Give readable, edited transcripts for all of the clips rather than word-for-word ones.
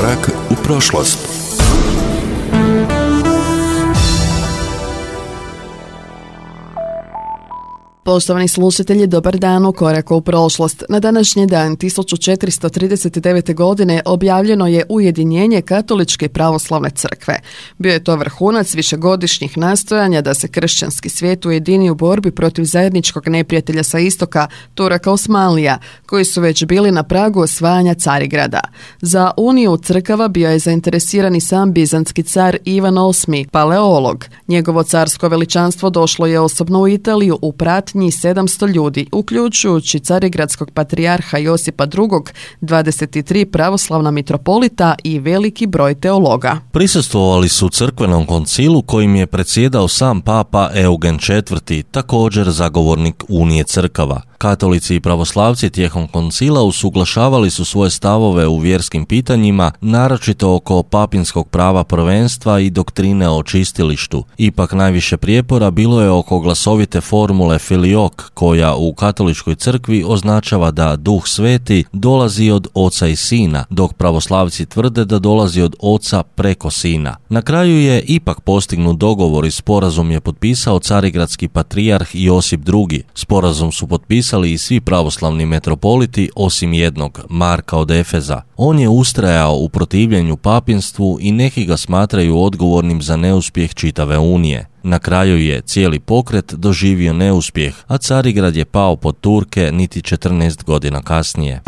Korak u prošlost. Poštovani slušatelji, dobar dan u Koraku u prošlost. Na današnji dan 1439. godine objavljeno je ujedinjenje Katoličke i pravoslavne crkve. Bio je to vrhunac višegodišnjih nastojanja da se kršćanski svijet ujedini u borbi protiv zajedničkog neprijatelja sa istoka, Turaka Osmanlija, koji su već bili na pragu osvajanja Carigrada. Za uniju crkava bio je zainteresirani sam bizantski car Ivan VIII, paleolog. Njegovo carsko veličanstvo došlo je osobno u Italiju u pratnji 700 ljudi, uključujući carigradskog patrijarha Josipa II, 23 pravoslavna mitropolita i veliki broj teologa. Prisustvovali su crkvenom koncilu kojim je predsjedao sam papa Eugen IV, također zagovornik Unije crkava. Katolici i pravoslavci tijekom koncila usuglašavali su svoje stavove u vjerskim pitanjima, naročito oko papinskog prava prvenstva i doktrine o čistilištu. Ipak najviše prijepora bilo je oko glasovite formule filiok, koja u katoličkoj crkvi označava da Duh Sveti dolazi od Oca i Sina, dok pravoslavci tvrde da dolazi od Oca preko Sina. Na kraju je ipak postignut dogovor i sporazum je potpisao carigradski patrijarh Josip II. Sporazum su potpisali i svi pravoslavni metropoliti osim jednog, Marka od Efeza. On je ustrajao u protivljenju papinstvu i neki ga smatraju odgovornim za neuspjeh čitave unije. Na kraju je cijeli pokret doživio neuspjeh, a Carigrad je pao pod Turke niti 14 godina kasnije.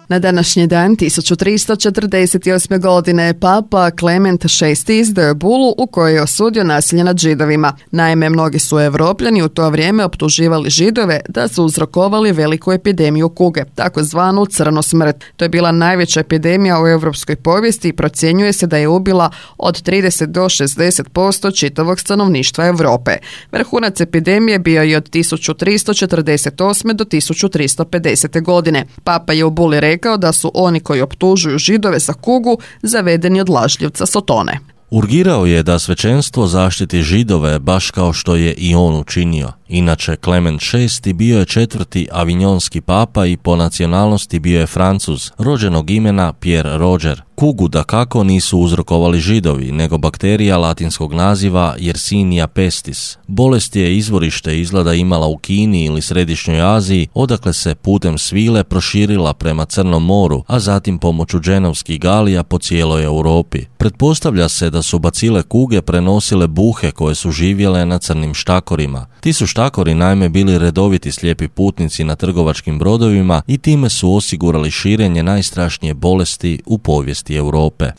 Na današnji dan 1348. godine papa Klement VI izdao je bulu u kojoj je osudio nasilje nad Židovima. Naime, mnogi su Evropljani u to vrijeme optuživali Židove da su uzrokovali veliku epidemiju kuge, takozvanu crnu smrt. To je bila najveća epidemija u europskoj povijesti i procjenjuje se da je ubila od 30 do 60% čitavog stanovništva Europe. Vrhunac epidemije bio je od 1348. do 1350. godine. Papa je u buli rekao da su oni koji optužuju Židove za kugu zavedeni od lažljivca Sotone. Urgirao je da svećenstvo zaštiti Židove baš kao što je i on učinio. Inače, Klement VI bio je četvrti avinjonski papa i po nacionalnosti bio je Francuz, rođenog imena Pierre Roger. Kugu dakako nisu uzrokovali Židovi, nego bakterija latinskog naziva Yersinia pestis. Bolest je izvorište izgleda imala u Kini ili Središnjoj Aziji, odakle se putem svile proširila prema Crnom moru, a zatim pomoću dženovskih galija po cijeloj Europi. Pretpostavlja se da su bacile kuge prenosile buhe koje su živjele na crnim štakorima. Ti su štakori naime bili redoviti slijepi putnici na trgovačkim brodovima i time su osigurali širenje najstrašnije bolesti u povijesti Europe.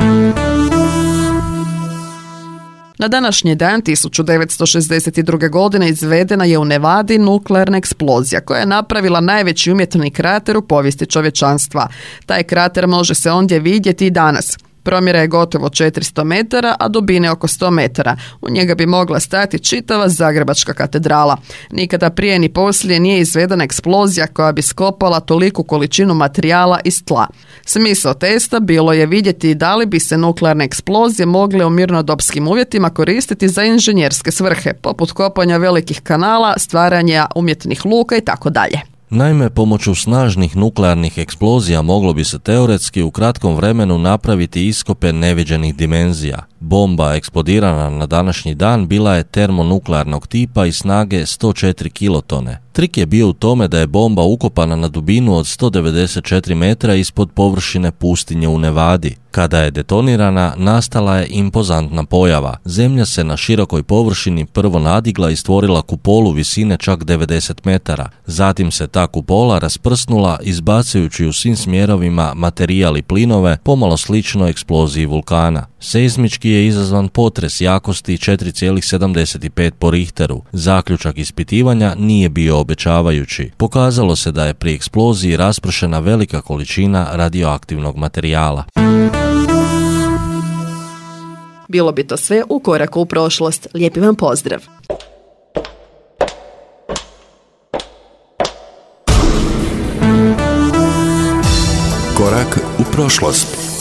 Na današnji dan 1962. godine izvedena je u Nevadi nuklearna eksplozija koja je napravila najveći umjetni krater u povijesti čovječanstva. Taj krater može se ondje vidjeti i danas. Promjera je gotovo 400 metara, a dubine oko 100 metara. U njega bi mogla stati čitava Zagrebačka katedrala. Nikada prije ni poslije nije izvedena eksplozija koja bi skopala toliku količinu materijala iz tla. Smisao testa bilo je vidjeti da li bi se nuklearne eksplozije mogle u mirnodopskim uvjetima koristiti za inženjerske svrhe, poput kopanja velikih kanala, stvaranja umjetnih luka i tako dalje. Naime, pomoću snažnih nuklearnih eksplozija moglo bi se teoretski u kratkom vremenu napraviti iskope neviđenih dimenzija. Bomba eksplodirana na današnji dan bila je termonuklearnog tipa i snage 104 kilotone. Trik je bio u tome da je bomba ukopana na dubinu od 194 metra ispod površine pustinje u Nevadi. Kada je detonirana, nastala je impozantna pojava. Zemlja se na širokoj površini prvo nadigla i stvorila kupolu visine čak 90 metara. Zatim se ta kupola rasprsnula izbacujući u svim smjerovima materijal i plinove, pomalo slično eksploziji vulkana. Seizmički je izazvan potres jakosti 4,75 po Richteru. Zaključak ispitivanja nije bio obećavajući. Pokazalo se da je pri eksploziji raspršena velika količina radioaktivnog materijala. Bilo bi to sve u Koraku u prošlost. Lijepi vam pozdrav! Korak u prošlost.